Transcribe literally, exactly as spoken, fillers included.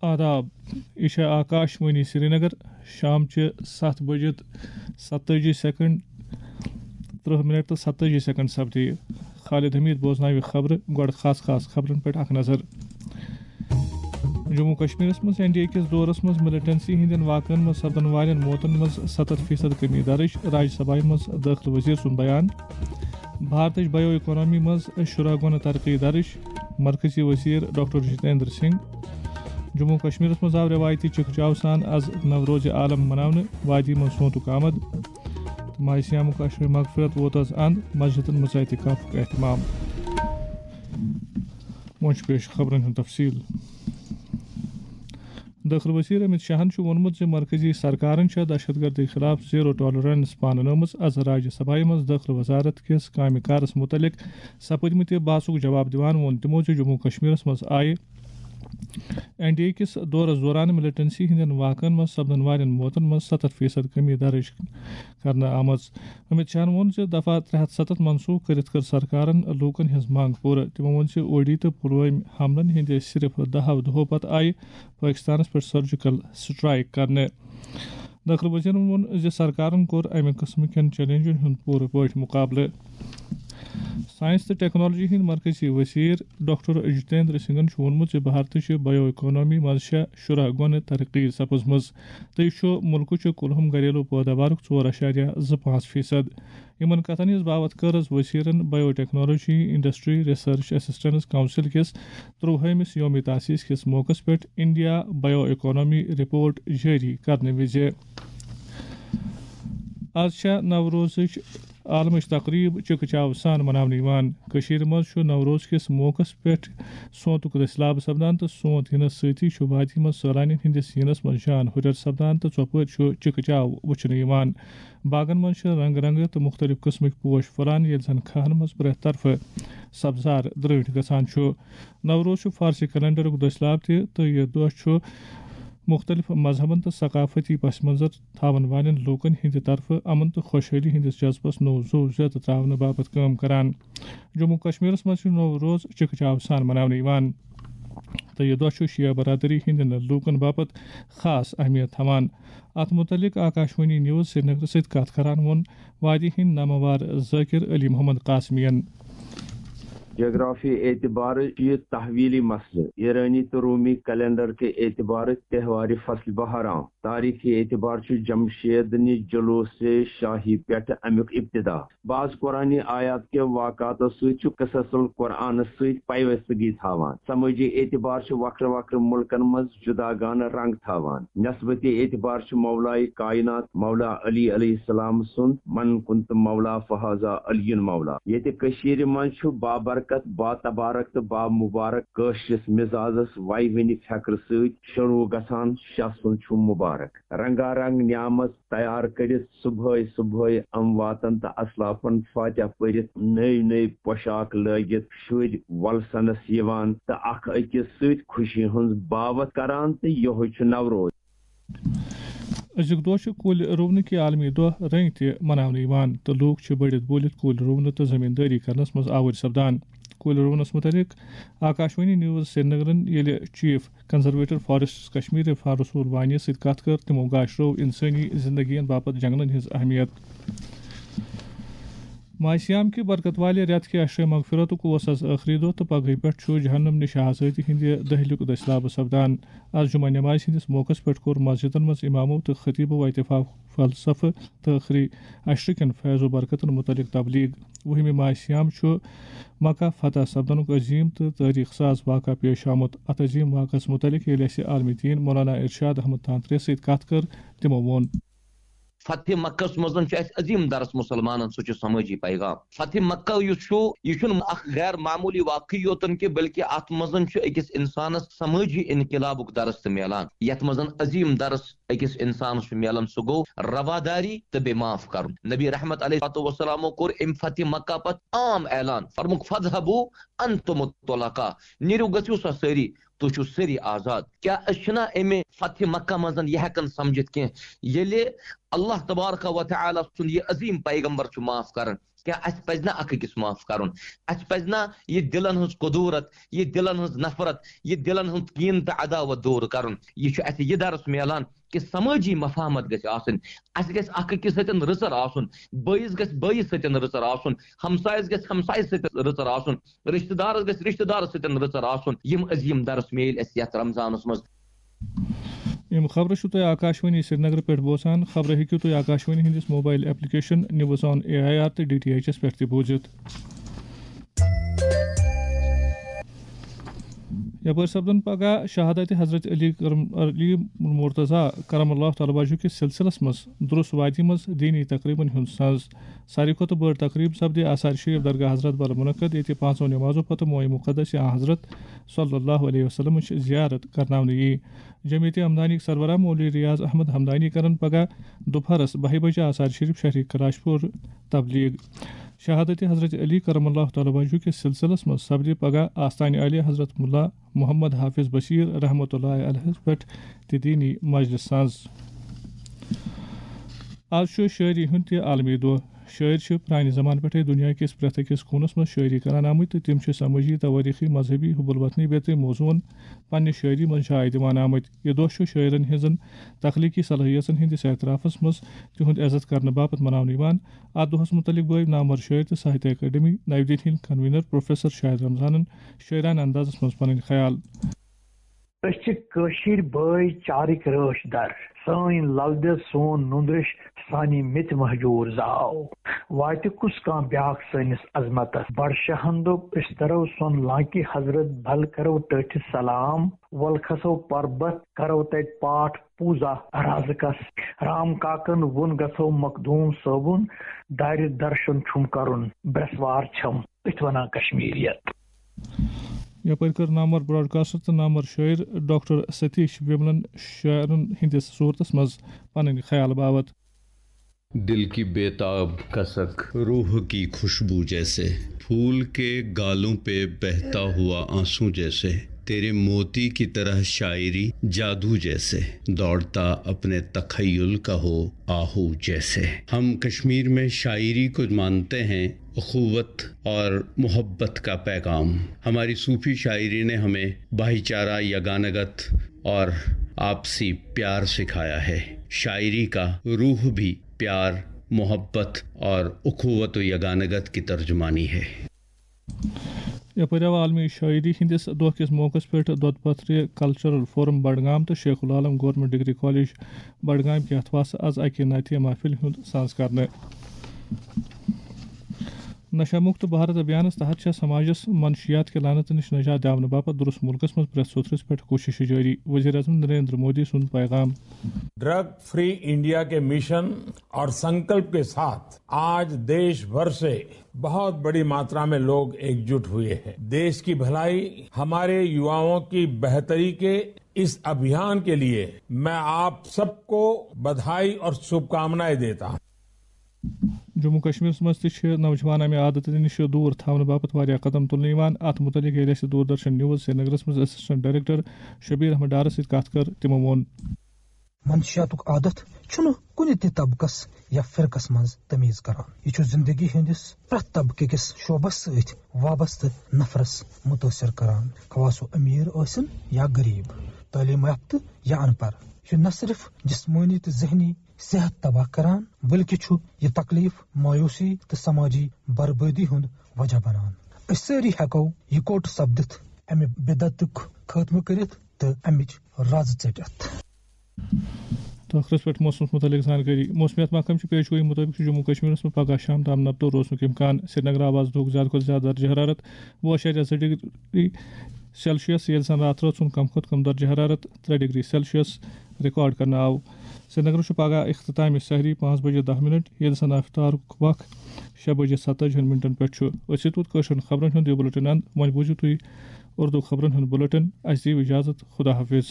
آداب، یہِ چھےٚ آکاش وانی سرینگر۔ شام چہِ ستھ بجہِ تہٕ ستٲجی سیکنڈ، ترٕہ منٹ تہٕ ستٲجی سیکنڈ سپدے۔ خالد حمید بوزناوِ خبرٕ۔ گۄڈٕ خاص خاص خبرن پٮ۪ٹھ اکھ نظر۔ جموں کشمیرس منٛز این ڈی اے کِس دورس منٛز ملیٹنسی ہٕنٛدٮ۪ن واقعن منٛز سپدن والٮ۪ن موتن منٛز ستتھ فیصد کمی درٕج، راجیہ سبھایہ منٛز دٲخلہٕ وزیر سُنٛد بیان۔ بھارتٕچ بایو اکانومی منٛز شُراہ گُنہٕ ترقی درٕج، مرکزی وزیر ڈاکٹر جتیندر سنگھ۔ جموں کشمیرس منٛز آو رٮ۪وایتی چکہ چاو سان از نوروز عالم مناونہٕ، وادی منٛز سونتُک آمد تہٕ ماہِ صیامُک عشرِ مغفرت ووت از اند، مسجدن منٛز اعتکافُک اہتمام۔ وۄنۍ چھُ پیش خبرن ہُنٛد تفصیل۔ دٲخلہٕ وزیر امت شاہن چھُ ووٚنمُت زِ مرکزی سرکارن چھےٚ دہشت گردی خلاف زیرو ٹالرنس پاننٲومٕژ۔ از راجیہ سبھایہ منٛز دٲخلہٕ وزارت کِس کامہِ کارس مُتعلق سپٕدمٕتہِ بحثُک جواب دِوان ووٚن تِمو زِ جموں کشمیرس منٛز آیہِ این ڈی اے کِس دورس دوران ملیٹنسی ہٕنٛدٮ۪ن واقعن منٛز سپدن والٮ۪ن موتن منٛز ستتھ فیصد کمی درٕج کرنہٕ آمٕژ۔ امت شاہن ووٚن زِ دفعہ ترٛےٚ ہتھ ستتھ منسوخ کٔرِتھ کٔر سرکارن لوٗکن ہٕنٛز منٛگ پوٗرٕ۔ تِمو ووٚن زِ اوڈی تہٕ پلوٲمۍ حملن ہٕنٛدِ صرف دہو دۄہو پتہٕ آیہِ پٲکستانس پٮ۪ٹھ سرجیکل سٹرائیک کرنہٕ۔ دٲخلہٕ وزیرن ووٚن زِ سرکارن کوٚر امہِ قٕسمہٕ کٮ۪ن چیلنجن ہُنٛد پوٗرٕ پٲٹھۍ مُقابلہٕ۔ ساینس تہٕ ٹیکنالوجی ہٕنٛدۍ مرکزی وزیر ڈاکٹر جتیندر سنگھن چھُ ووٚنمُت زِ بھارتٕچہِ بایو اکانومی منٛز چھےٚ شُراہ گُنہٕ ترقی سپٕزمٕژ تہٕ یہِ چھُ مُلکٕچہِ کُلہُم گھریلو پٲداوارُک ژور اعشاریہ زٕ پانٛژھ فیصد۔ یِمن کتھن ہٕنٛز باوتھ کٔر از وزیرن biotechnology industry research assistance council کِس ترٛوہٲمِس یوم تاسیس کِس موقعس پٮ۪ٹھ انڈیا بایو اکانومی رپورٹ جٲری کرنہٕ وِزِ۔ از چھےٚ نوروزٕچ عالمٕچ تقریب چکہ چاو سان مناونہٕ یِوان۔ کٔشیٖرِ منٛز چھُ نوروز کِس موقعس پٮ۪ٹھ سونتُک دٔسۍ لابہٕ سپدان تہٕ سونت یِنس سۭتی چھُ وادی منٛز سٲلانٮ۪ن ہٕنٛدِس یِنس منٛز جان ہُرٮ۪ر سپدان تہٕ ژۄپٲرۍ چھُ چکہ چاو وُچھنہٕ یِوان۔ باغن منٛز چھِ رنگ رنگہٕ تہٕ مُختٔلِف قٕسمٕکۍ پوش پھۄلان، ییٚلہِ زن کھاہن منٛز پرٛٮ۪تھ طرفہٕ سبزار درٛٲٹھۍ گژھان چھُ۔ نوروز چھُ فارسی کیلنڈرُک دٔسۍ لاب تہِ تہٕ یہِ دۄہ چھُ مُختٔلِف مذہبن تہٕ ثقافتی پس منظر تھاون والٮ۪ن لوٗکن ہٕنٛدِ طرفہٕ امن تہٕ خۄشحٲلی ہٕنٛدِس جذبس نوٚو زُو زیادٕ تراونہٕ باپتھ کٲم کران۔ جموں کشمیرس منٛز چھُ نوروز چکہ چاو سان مناونہٕ یِوان تہٕ یہِ دۄہ چھُ شیعہ برادری ہٕنٛدٮ۪ن لوٗکن باپتھ خاص اہمیت تھاوان۔ اتھ مُتعلق آکاشوانی نیوز سرینگرٕ سۭتۍ کتھ کران ووٚن وادی ہٕنٛدۍ نامور ذٲکر علی محمد قاسمی ین۔ جغرافی اعتبارٕ چھُ یہِ تحویلی مسلہٕ۔ ایرانی تہٕ رومی کیلنڈر کہِ اعتبارٕ تہوارِ فصل بہاران۔ تاریخی اعتبار چھُ جمشید نہِ جلوس شاہی پٮ۪ٹھ امیُک ابتدا۔ بعض قرآنی آیات کہِ واقعاتو سۭتۍ چھُ قصص القرآنس سۭتۍ پیوستگی تھاوان۔ سمٲجی اعتبار چھُ وکھرٕ وکھرٕ مُلکن منٛز جداگانہٕ رنگ تھاوان۔ نسبتی اعتبار چھُ مولائے کائنات مولا علی علیہ السلام سُنٛد من کنت مولا فہذا علی مولا۔ ییٚتہِ کٔشیٖرِ منٛز چھُ بابرکت، باتبارک تہٕ بامبارک کٲشرِس مزازس ویہِ وٕنہِ فکرٕ سۭتۍ شروع گژھان، شاہ سُنٛد چھُ مبارک۔ رنگا رنگ نعمت تیار کٔرِتھ صبحٲے صبحٲے امواتن تہٕ اسلافن فاتحہ پٔرِتھ نٔوۍ نٔوۍ پوشاک لٲگِتھ شُرۍ وۄلسنس یِوان تہٕ اکھ أکِس سۭتۍ خوشی ہٕنٛز باوتھ کران تہٕ یِہوٚے چھُ نوروز۔ أزیُک دۄہ چھُ کُلۍ رُونہٕ کہِ عالمی دۄہ رٔنگۍ تہِ مناونہٕ یِوان تہٕ لوٗکھ چھِ بٔڑِتھ بوٗلِتھ کُلۍ رُونہٕ تہٕ زٔمیٖندٲری کرنَس منٛز آوٕرۍ سپدان۔ کُلۍ رُونَس مُتعلِق آکاشوانی نیوز سرینگرَن ییٚلہِ چیف کنزرویٹر فاریسٹس کشمیر عرفان رسول وانی سۭتۍ کتھ کٔر، تِمو گاشرو انسٲنی زندگین باپتھ جنگلن ہٕنٛز اہمیت۔ ماہِ صیام کہِ برکت والہِ رٮ۪تھ کہِ عشرِ مغفرتُک اوس از ٲخری دۄہ تہٕ پگہٕے پٮ۪ٹھ چھُ جہنم نِش آزٲدی ہٕنٛدِ دٔہلِیُک دٔسۍ لابہٕ سپدان۔ از جمعہ نمازِ ہٕنٛدِس موقعس پٮ۪ٹھ کوٚر مسجدن منٛز امامو تہٕ خطیبو اعتکاف فلسفہٕ تہٕ ٲخری عشرٕ کٮ۪ن فیض و برکتن متعلق تبلیغ۔ وُہمہِ ماہِ صیام چھُ مکہ فتح سپدنُک عظیم تہٕ تٲریخ ساز واقعہ پیش آمُت۔ اتھ عظیم واقعس متعلق ییٚلہِ اسہِ عالمِ دین مولانا ارشاد احمد تانترے سۭتۍ کتھ کٔر، تِمو ووٚن۔ فتح مکس منٛز چھُ اسہِ عظیم درس مسلمانن، سُہ چھُ سمٲجی پیغام۔ فتح مکہ یُس چھُ، یہِ چھُنہٕ اکھ غیر معمولی واقعہٕ یوتن کہِ بلکہِ اتھ منٛز چھُ أکِس انسانس سمٲجی انقلابُک درس تہِ میلان، یتھ منٛز عظیم درس أکِس انسانس چھُ میلان، سُہ گوٚو رواداری تہٕ بیٚیہِ معاف کرُن۔ نبی رحمت علیہ الصلوۃ والسلامو کوٚر امہِ فتح مکہ پتہٕ عام اعلان، فرمووُکھ، "فاذهبوا انتم الطلقاء"، نیٖرِو، گٔژھِو سا سٲری، تُہۍ چھِو سٲری آزاد۔ کیٛاہ أسۍ چھِنا امہِ فتح مکہ منٛز یہِ ہٮ۪کان سمجھِتھ کینٛہہ، ییٚلہِ اللہ تبارک و تعالیٰ سُنٛد یہِ عظیم پیغمبر چھُ معاف کران، کیٛاہ اَسہِ پَزِ نہ اَکھ أکِس معاف کَرُن؟ اَسہِ پَزِ نہ یہِ دِلَن ہٕنٛز کُدوٗرت، یہِ دِلَن ہٕنٛز نفرت، یہِ دِلَن ہُنٛد کیٖنہٕ تہٕ عداوت دوٗر کَرُن؟ یہِ چھُ اَسہِ یہِ درس میلان کہِ سمٲجی مفاہمت گژھِ آسٕنۍ۔ اَسہِ گژھِ اَکھ أکِس سۭتۍ رٕژر آسُن، بٲیِس گژھِ بٲیِس سۭتۍ رٕژر آسُن، ہمسایَس گژھِ ہمسایَس سۭتۍ رٕژر آسُن، رشتہٕ دارس گژھِ رشتہٕ دارس سۭتۍ رٕژر آسُن۔ یِم عظیٖم درس میلۍ اَسہِ یَتھ رمضانس منٛز۔ یِم خبرٕ چھِو تُہۍ آکاشوانی سرینگرٕ پٮ۪ٹھ بوزان۔ خبرٕ ہیٚکِو تُہۍ آکاشوانی ہٕنٛدِس mobile application news on A I R تہٕ ڈی ٹی ایچ ایس پٮ۪ٹھ تہِ بوٗزِتھ۔ یپٲرۍ سپدن پگاہ شہادت حضرت علی کرم، علی مرتضی کرم اللہ تعالیٰ وجہہ کِس سلسلس منٛز درس وادی منٛز دینی تقریبن ہُنٛد سنز۔ ساروی کھۄتہٕ بٔڑ تقریب سپدِ آثار شریف درگاہ حضرت بل منعقد، ییٚتہِ پانٛژو نمازو پتہٕ موئے مقدس آن حضرت صلی اللہ علیہ وسلمٕچ زیارت کرناونہٕ یی۔ جمعیت ہمدانیک سربراہ مولوی ریاض احمد ہمدانی کرن پگاہ دُپہرس بَہہِ بجہِ آثار شریف شہری کلاش پور تبلیغ۔ شہادت حضرت علی کرم اللہ تعالیٰ وجہہ کِس سلسلس منٛز سپدِ پگاہ آستانہِ عالی حضرت ملا محمد حافظ بشیر رحمۃ اللہ علیہ پٮ۪ٹھ تہِ دینی مجلس سنز۔ آز چھُ شٲعری ہُنٛد تہِ عالمی دۄہ۔ شٲعر چھِ پرٛانہِ زمانہٕ پٮ۪ٹھَے دُنیا کِس پرٛٮ۪تھ أکِس کوٗنس منٛز شٲعری کران آمٕتۍ تہٕ تِم چھِ سمٲجی، توٲریٖخی، مذہبی، حب الوطنی بیترِ موضوعن پننہِ شٲعری منٛز جاے دِوان آمٕتۍ۔ یہِ دۄہ چھُ شٲعرن ہٕنٛزن تخلیقی صلٲحیژن ہٕنٛدِس اعترافس منٛز تِہُنٛد عزت کرنہٕ باپتھ مناونہٕ یِوان۔ اتھ دۄہس مُتعلق بٲوۍ نامور شٲعر تہٕ ساہتیہ اکیڈمی نَیہِ دِلہِ ہٕنٛدۍ کنوینر پروفیسر شاہد رمضانن شٲعرانہٕ اندازس منٛز پنٕنۍ خیال۔ أسۍ چھِ کٲشِرۍ بٲے چارٕکۍ رٲچھ در۔ سٲنۍ لل دٮ۪د، سون نُندرِش، سانی مِتۍ مہجوٗر زاو۔ واتہِ کُس کانٛہہ بیاکھ سٲنِس عظمتس؟ بڈشاہن دوٚپ، أسۍ ترو سۄن لانکہِ حضرت بل کرو ٹٲٹھِس سلام۔ ول کھسو پربت، کرو تتہِ پاٹھ پوٗزا رازکس۔ رام کاکن ووٚن، گژھو مخدوٗم صٲبُن دارِ درشن چھُم کرُن، برٛٮ۪سوار چھم۔ أتھۍ ونان کشمیریت۔ یپٲرۍ کٔر نامور براڈکاسٹر تہٕ نامور شٲعر ڈاکٹر ستیش وملن شاعرن ہٕنٛدِس صورتس منٛز پنٕنۍ خیال باوت۔ دل کی بے تاب کسک، روح کی خوشبو جیسے، پھول کے گالوں پہ بہتا ہوا آنسو جیسے، تیرے موتی کی طرح شاعری جادو جیسے، دوڑتا اپنے تخیل کا ہو آہو جیسے۔ ہم کشمیر میں شاعری کو مانتے ہیں اخوت اور محبت کا پیغام۔ ہماری صوفی شاعری نے ہمیں بھائی چارہ، یگانگت اور آپسی پیار سکھایا ہے۔ شاعری کا روح بھی پیار، محبت اور اخوت و یگانگت کی ترجمانی ہے۔ یپٲرۍ آو عالمی شٲعری ہٕنٛدِس دۄہ کِس موقعس پٮ۪ٹھ دۄد پتھرِ کلچرل فورم بڈگام تہٕ شیخ العالم گورنمنٹ ڈگری کالج بڈگام کہِ اتھواسہٕ از اکہِ نعتیہ محفل ہُنٛد ساز کرنہٕ۔ نشہ مکت بھارت ابھیانس تحت چھےٚ سماجس منشیات کہِ لعنتہٕ نِش نجات دِاونہٕ باپتھ درست ملکس منٛز پرٛٮ۪تھ سوٚتھرِس پٮ۪ٹھ کوٗششہٕ جٲری، وزیر اعظم نریندر مودی سُنٛد پیغام۔ ڈرگ فری انڈیا کے مشن اور سنکلپ کے ساتھ آج دیش بھر سے بہت بڑی ماترا میں لوگ ایکجٹ ہوئے ہیں۔ دیش کی بھلائی، ہمارے یواؤں کی بہتری کے اس ابھیان کے لیے میں آپ سب کو بدھائی اور شبھ کامنائیں دیتا ہوں۔ جموں کشمیرس منٛز تہِ چھِ نوجوان امہِ عادتہٕ نِش دوٗر تھاونہٕ باپتھ واریاہ قدم تُلنہٕ یِوان۔ اتھ مُتعلق ییٚلہِ اَسہِ دوٗردرشن نیوز سرینگرس منٛز اسسٹنٹ ڈائریکٹر شبیر احمد ڈارس سۭتۍ کتھ کٔر، تِمو ووٚن۔ منشیاتُک عادت چھُنہٕ کُنہِ تہِ طبقس یا فرقس منٛز تمیز کران۔ یہِ چھُ زندگی ہٕنٛدِس پرٛٮ۪تھ طبقہٕ کِس شعبس سۭتۍ وابستہٕ نفرس مُتٲثر کران، خواہ سُہ امیر ٲسِن یا غریب، تعلیم یافتہٕ یا ان پڑھ۔ یہِ چھُ نہ صرف جسمٲنی تہٕ ذہنی صحت تباہ کران، بلکہِ چھُ یہِ تکلیف، مایوسی تہٕ سماجی بربٲدی ہُنٛد وجہ بنان۔ أسۍ سٲری ہٮ۪کو یکوٹہٕ سپدِتھ، امہِ بدعتُک خاتمہٕ کٔرِتھ تہٕ امِچ رز ژٔٹِتھ۔ تہٕ ٲخرس پٮ۪ٹھ موسمس مُتعلق زانکٲری۔ موسمیات محکمہٕ چہِ پیش گویی مُطٲبِق چھُ جموں کشمیرس منٛز پگہہ شام تام نبتو روزنُک امکان۔ سرینگر آواز دۄہُک زیادٕ کھۄتہٕ زیادٕ درجہ حرارت وُہ اعشاریہ زٕ ڈگری سیلسیس، ییٚلہِ زن راتھ رٲژ ہُنٛد کم کھۄتہٕ کم درجہ حرارت ترٛےٚ ڈگری سیلسیس ریکارڈ کرنہٕ آو۔ سرینگرس چھُ پگہہ اختتامِ سحری پانٛژھ بجے دَہ منٹ، ییٚلہِ زن افطارُک وق شےٚ بجے ستتٲجی ہن منٹن پٮ۪ٹھ چھُ۔ أتھۍ سۭتۍ ووت کٲشرٮ۪ن خبرن ہُنٛد یہِ بُلٹن اند۔ وۄنۍ بوٗزِو تُہۍ اردو خبرن ہُنٛد بُلٹن۔ اَسہِ دِیِو اجازت۔ خدا حافظ۔